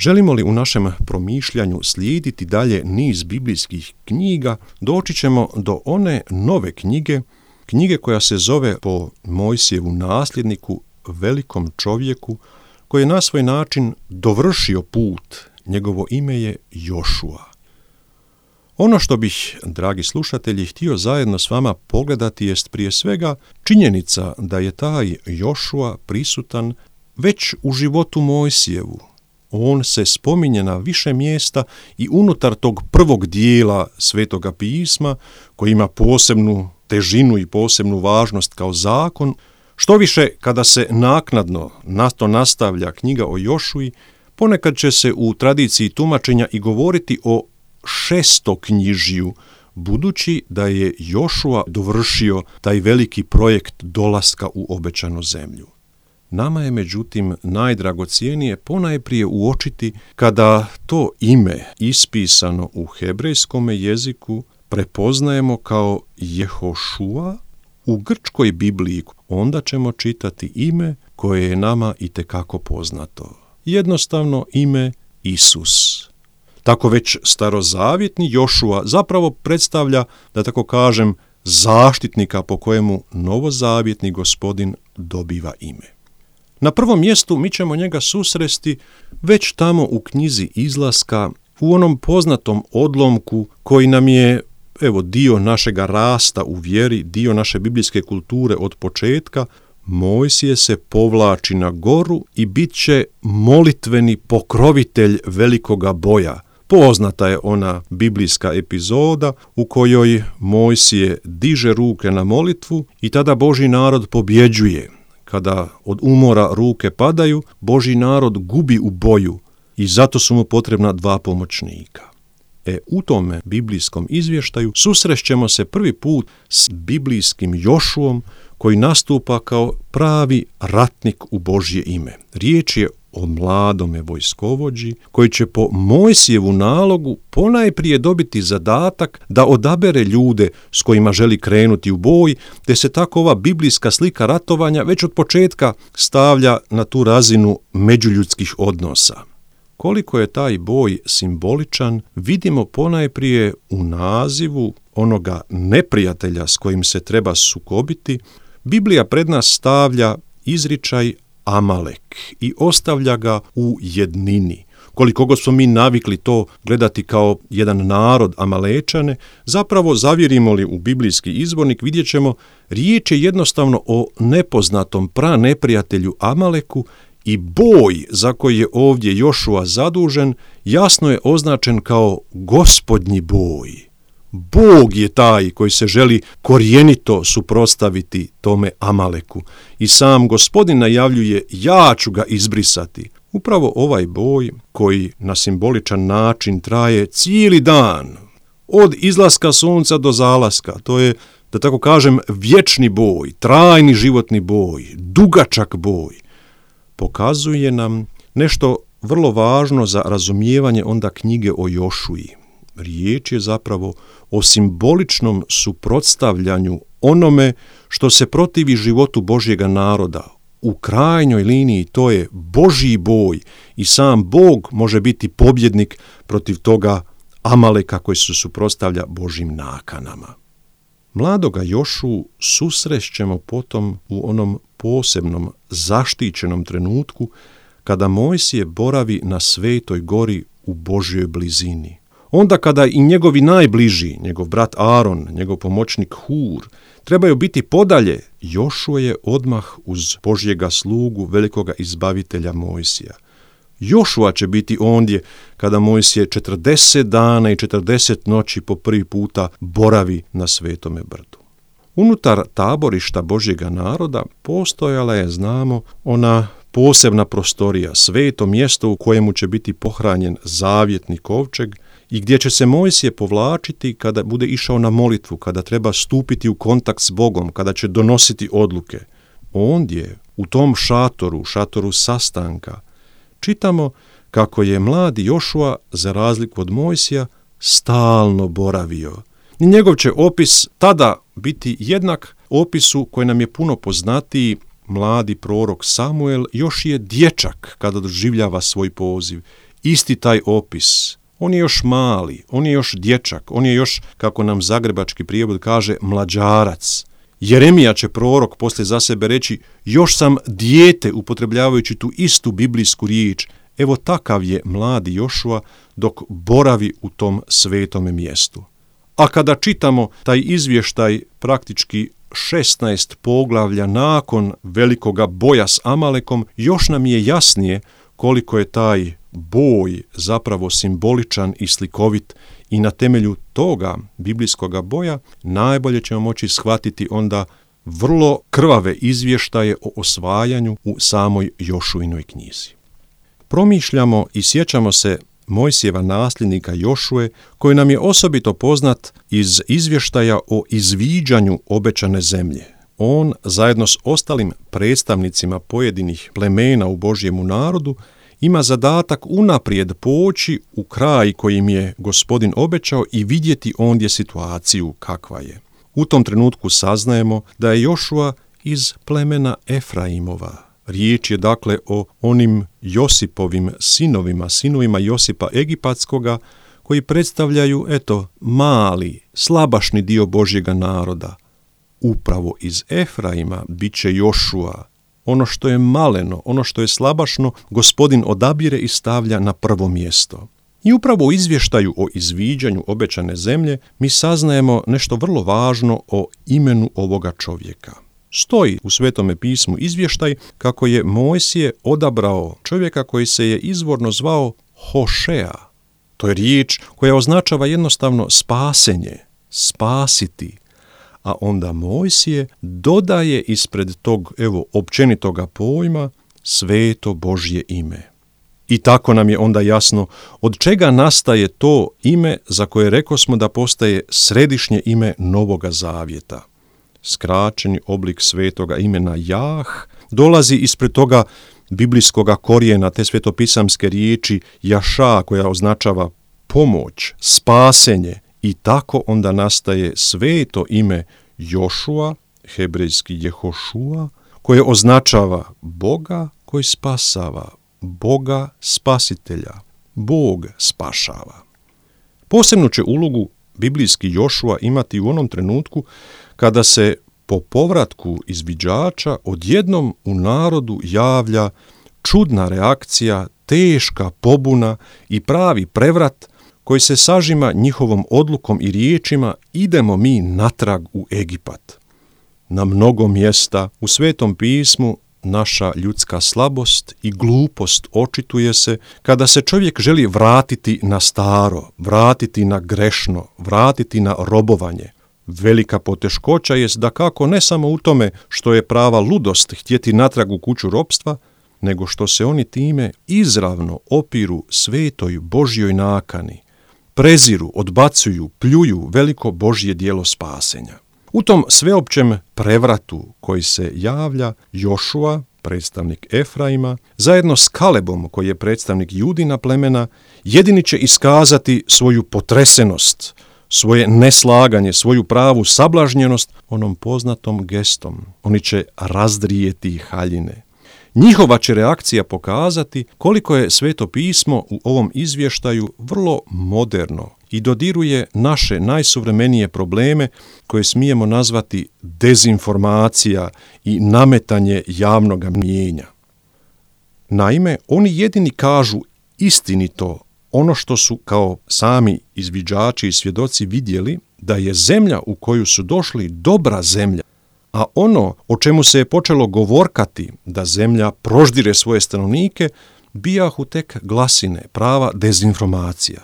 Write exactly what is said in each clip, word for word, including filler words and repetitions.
Želimo li u našem promišljanju slijediti dalje niz biblijskih knjiga, doći ćemo do one nove knjige, knjige koja se zove po Mojsijevu nasljedniku, velikom čovjeku, koji je na svoj način dovršio put. Njegovo ime je Jošua. Ono što bih, dragi slušatelji, htio zajedno s vama pogledati jest prije svega činjenica da je taj Jošua prisutan već u životu Mojsijevu. On se spominje na više mjesta i unutar tog prvog dijela Svetoga pisma, koji ima posebnu težinu i posebnu važnost kao zakon. Što više, kada se naknadno na to nastavlja knjiga o Jošui, ponekad će se u tradiciji tumačenja i govoriti o šestoknjižju, budući da je Jošua dovršio taj veliki projekt dolaska u obećanu zemlju. Nama je međutim najdragocjenije ponajprije uočiti kada to ime ispisano u hebrejskome jeziku prepoznajemo kao Jehošua. U grčkoj Bibliji onda ćemo čitati ime koje je nama itekako poznato. Jednostavno ime Isus. Tako već starozavjetni Jošua zapravo predstavlja, da tako kažem, zaštitnika po kojemu novozavjetni Gospodin dobiva ime. Na prvom mjestu mi ćemo njega susresti već tamo u knjizi Izlaska, u onom poznatom odlomku koji nam je, evo, dio našega rasta u vjeri, dio naše biblijske kulture od početka. Mojsije se povlači na goru i bit će molitveni pokrovitelj velikoga boja. Poznata je ona biblijska epizoda u kojoj Mojsije diže ruke na molitvu i tada Božji narod pobjeđuje. Kada od umora ruke padaju, Božji narod gubi u boju i zato su mu potrebna dva pomoćnika. E, u tome biblijskom izvještaju susrećemo se prvi put s biblijskim Jošuom koji nastupa kao pravi ratnik u Božje ime. Riječ je o mladome vojskovođi koji će po Mojsijevu nalogu ponajprije dobiti zadatak da odabere ljude s kojima želi krenuti u boj, te se tako ova biblijska slika ratovanja već od početka stavlja na tu razinu međuljudskih odnosa. Koliko je taj boj simboličan, vidimo ponajprije u nazivu onoga neprijatelja s kojim se treba sukobiti. Biblija pred nas stavlja izričaj Amalek i ostavlja ga u jednini. Koliko god smo mi navikli to gledati kao jedan narod Amalečane, zapravo zavjerimo li u biblijski izvornik vidjet ćemo, riječ je jednostavno o nepoznatom praneprijatelju Amaleku i boj za koji je ovdje Jošua zadužen jasno je označen kao gospodnji boj. Bog je taj koji se želi korijenito suprotstaviti tome Amaleku i sam Gospodin najavljuje ja ću ga izbrisati. Upravo ovaj boj koji na simboličan način traje cijeli dan, od izlaska sunca do zalaska, to je, da tako kažem, vječni boj, trajni životni boj, dugačak boj, pokazuje nam nešto vrlo važno za razumijevanje onda knjige o Jošui. Riječ je zapravo o simboličnom suprotstavljanju onome što se protivi životu Božjega naroda. U krajnjoj liniji to je Božji boj i sam Bog može biti pobjednik protiv toga Amaleka koji se suprotstavlja Božjim nakanama. Mladoga Jošu susrećemo potom u onom posebnom zaštićenom trenutku kada Mojsije boravi na Svetoj gori u Božjoj blizini. Onda kada i njegovi najbliži, njegov brat Aron, njegov pomoćnik Hur, trebaju biti podalje, Jošua je odmah uz Božjega slugu, velikoga izbavitelja Mojsija. Jošua će biti ondje kada Mojsije četrdeset dana i četrdeset noći po prvi puta boravi na Svetome brdu. Unutar taborišta Božjega naroda postojala je, znamo, ona posebna prostorija, sveto mjesto u kojemu će biti pohranjen zavjetni kovčeg i gdje će se Mojsije povlačiti kada bude išao na molitvu, kada treba stupiti u kontakt s Bogom, kada će donositi odluke. Ondje, u tom šatoru, šatoru sastanka, čitamo kako je mladi Jošua, za razliku od Mojsija, stalno boravio. I njegov će opis tada biti jednak opisu koji nam je puno poznatiji. Mladi prorok Samuel još je dječak kada doživljava svoj poziv. isti taj opis. On je još mali, on je još dječak, on je još, kako nam zagrebački prijevod kaže, mlađarac. Jeremija će prorok poslije za sebe reći, još sam dijete, upotrebljavajući tu istu biblijsku riječ. Evo takav je mladi Jošua dok boravi u tom svetome mjestu. A kada čitamo taj izvještaj praktički šesnaest poglavlja nakon velikoga boja s Amalekom, još nam je jasnije koliko je taj boj zapravo simboličan i slikovit i na temelju toga biblijskoga boja najbolje ćemo moći shvatiti onda vrlo krvave izvještaje o osvajanju u samoj Jošuinoj knjizi. Promišljamo i sjećamo se Mojsijeva nasljednika Jošue, koji nam je osobito poznat iz izvještaja o izviđanju obećane zemlje. On, zajedno s ostalim predstavnicima pojedinih plemena u Božjemu narodu, ima zadatak unaprijed poći u kraj kojim je Gospodin obećao i vidjeti ondje situaciju kakva je. U tom trenutku saznajemo da je Jošua iz plemena Efraimova. Riječ je dakle o onim Josipovim sinovima, sinovima Josipa Egipatskoga, koji predstavljaju, eto, mali, slabašni dio Božjega naroda. Upravo iz Efraima bit će Jošua. Ono što je maleno, ono što je slabašno, Gospodin odabire i stavlja na prvo mjesto. I upravo u izvještaju o izviđanju obećane zemlje mi saznajemo nešto vrlo važno o imenu ovoga čovjeka. Stoji u Svetome pismu izvještaj kako je Mojsije odabrao čovjeka koji se je izvorno zvao Hošea. To je riječ koja označava jednostavno spasenje, spasiti. A onda Mojsije dodaje ispred tog, evo, općenitoga pojma sveto Božje ime. I tako nam je onda jasno od čega nastaje to ime za koje rekosmo da postaje središnje ime Novoga Zavjeta. Skraćeni oblik svetoga imena Jah dolazi ispred toga biblijskoga korijena, te svetopisamske riječi Jaša, koja označava pomoć, spasenje, i tako onda nastaje sveto ime Jošua, hebrejski Jehošua, koje označava Boga koji spasava, Boga spasitelja, Bog spašava. Posebnu će ulogu biblijski Jošua imati u onom trenutku kada se po povratku izviđača odjednom u narodu javlja čudna reakcija, teška pobuna i pravi prevrat koji se sažima njihovom odlukom i riječima idemo mi natrag u Egipat. Na mnogo mjesta u Svetom pismu naša ljudska slabost i glupost očituje se kada se čovjek želi vratiti na staro, vratiti na grešno, vratiti na robovanje. Velika poteškoća jest da kako ne samo u tome što je prava ludost htjeti natrag u kuću ropstva, nego što se oni time izravno opiru svetoj Božjoj nakani, preziru, odbacuju, pljuju veliko Božje djelo spasenja. U tom sveopćem prevratu koji se javlja, Jošua, predstavnik Efraima, zajedno s Kalebom, koji je predstavnik Judina plemena, jedini će iskazati svoju potresenost, svoje neslaganje, svoju pravu sablažnjenost onom poznatom gestom. Oni će razdrijeti haljine. Njihova će reakcija pokazati koliko je Sveto pismo u ovom izvještaju vrlo moderno i dodiruje naše najsuvremenije probleme koje smijemo nazvati dezinformacija i nametanje javnog mnijenja. Naime, oni jedini kažu istinito ono što su kao sami izviđači i svjedoci vidjeli, da je zemlja u koju su došli dobra zemlja, a ono o čemu se je počelo govorkati da zemlja proždire svoje stanovnike, bijahu tek glasine, prava dezinformacija.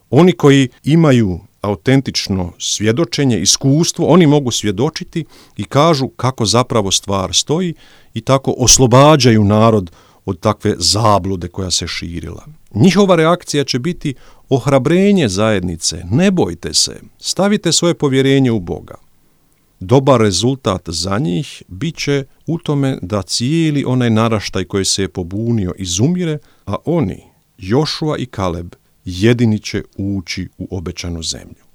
Oni koji imaju autentično svjedočenje, iskustvo, oni mogu svjedočiti i kažu kako zapravo stvar stoji i tako oslobađaju narod od takve zablude koja se širila. Njihova reakcija će biti ohrabrenje zajednice, ne bojte se, stavite svoje povjerenje u Boga. Dobar rezultat za njih bit će u tome da cijeli onaj naraštaj koji se je pobunio izumire, a oni, Jošua i Kaleb, jedini će ući u obećanu zemlju.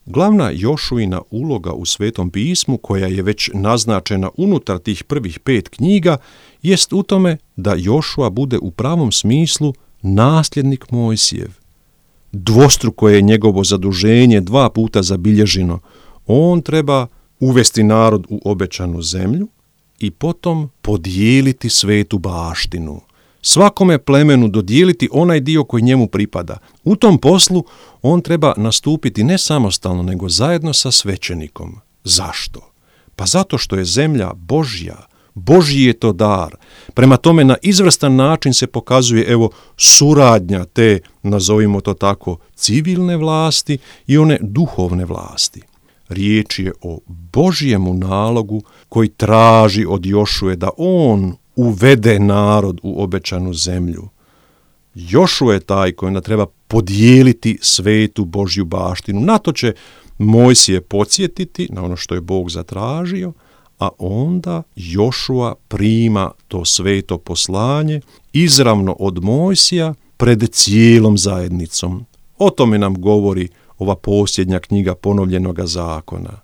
Glavna Jošuina uloga u Svetom pismu, koja je već naznačena unutar tih prvih pet knjiga, jest u tome da Jošua bude u pravom smislu nasljednik Mojsijev. Dvostruko je njegovo zaduženje dva puta zabilježeno. On treba uvesti narod u obećanu zemlju i potom podijeliti svetu baštinu. Svakome plemenu dodijeliti onaj dio koji njemu pripada. U tom poslu on treba nastupiti ne samostalno, nego zajedno sa svećenikom. Zašto? Pa zato što je zemlja Božja. Božji je to dar. Prema tome na izvrstan način se pokazuje evo suradnja te, nazovimo to tako, civilne vlasti i one duhovne vlasti. Riječ je o Božjemu nalogu koji traži od Jošue da on uvede narod u obećanu zemlju. Jošua je taj koji onda treba podijeliti svetu Božju baštinu. Na to će Mojsije podsjetiti, na ono što je Bog zatražio, a onda Jošua prima to sveto poslanje izravno od Mojsija pred cijelom zajednicom. O tome nam govori ova posljednja knjiga ponovljenoga zakona.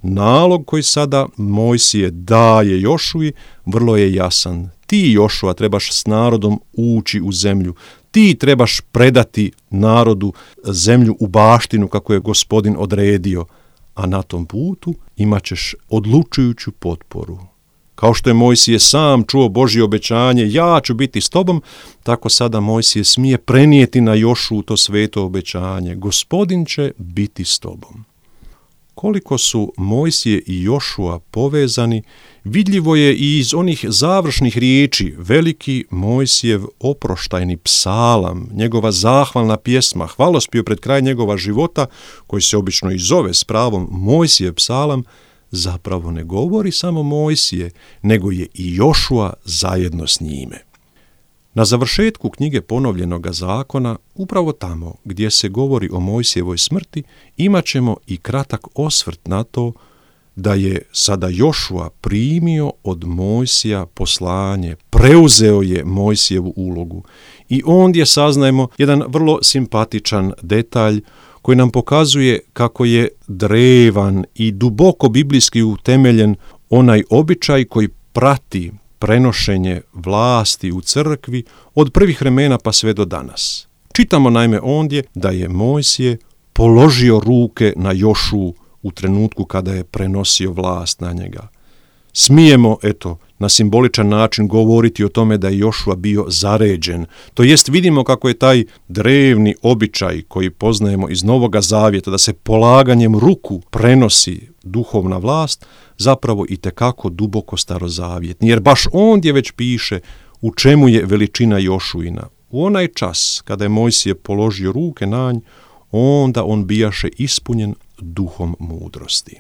Nalog koji sada Mojsije daje Jošui vrlo je jasan. Ti, Jošua, trebaš s narodom ući u zemlju. Ti trebaš predati narodu zemlju u baštinu kako je Gospodin odredio, a na tom putu imat ćeš odlučujuću potporu. Kao što je Mojsije sam čuo Božje obećanje, ja ću biti s tobom, tako sada Mojsije smije prenijeti na Jošuu to sveto obećanje. Gospodin će biti s tobom. Koliko su Mojsije i Jošua povezani, vidljivo je i iz onih završnih riječi. Veliki Mojsijev oproštajni psalam, njegova zahvalna pjesma, hvalospjev pred kraj njegova života, koji se obično i zove s pravom Mojsijev psalam, zapravo ne govori samo Mojsije, nego je i Jošua zajedno s njime. Na završetku knjige ponovljenoga zakona, upravo tamo gdje se govori o Mojsijevoj smrti, imat ćemo i kratak osvrt na to da je sada Jošua primio od Mojsija poslanje, preuzeo je Mojsijevu ulogu. I ondje saznajemo jedan vrlo simpatičan detalj koji nam pokazuje kako je drevan i duboko biblijski utemeljen onaj običaj koji prati prenošenje vlasti u crkvi od prvih vremena pa sve do danas. Čitamo naime ondje da je Mojsije položio ruke na Jošuu u trenutku kada je prenosio vlast na njega. Smijemo, eto, na simboličan način govoriti o tome da je Jošua bio zaređen. To jest vidimo kako je taj drevni običaj koji poznajemo iz Novoga Zavjeta, da se polaganjem ruku prenosi duhovna vlast, zapravo i tekako duboko starozavjetni. Jer baš ondje već piše u čemu je veličina Jošuina. U onaj čas kada je Mojsije položio ruke na nj, onda on bijaše ispunjen duhom mudrosti.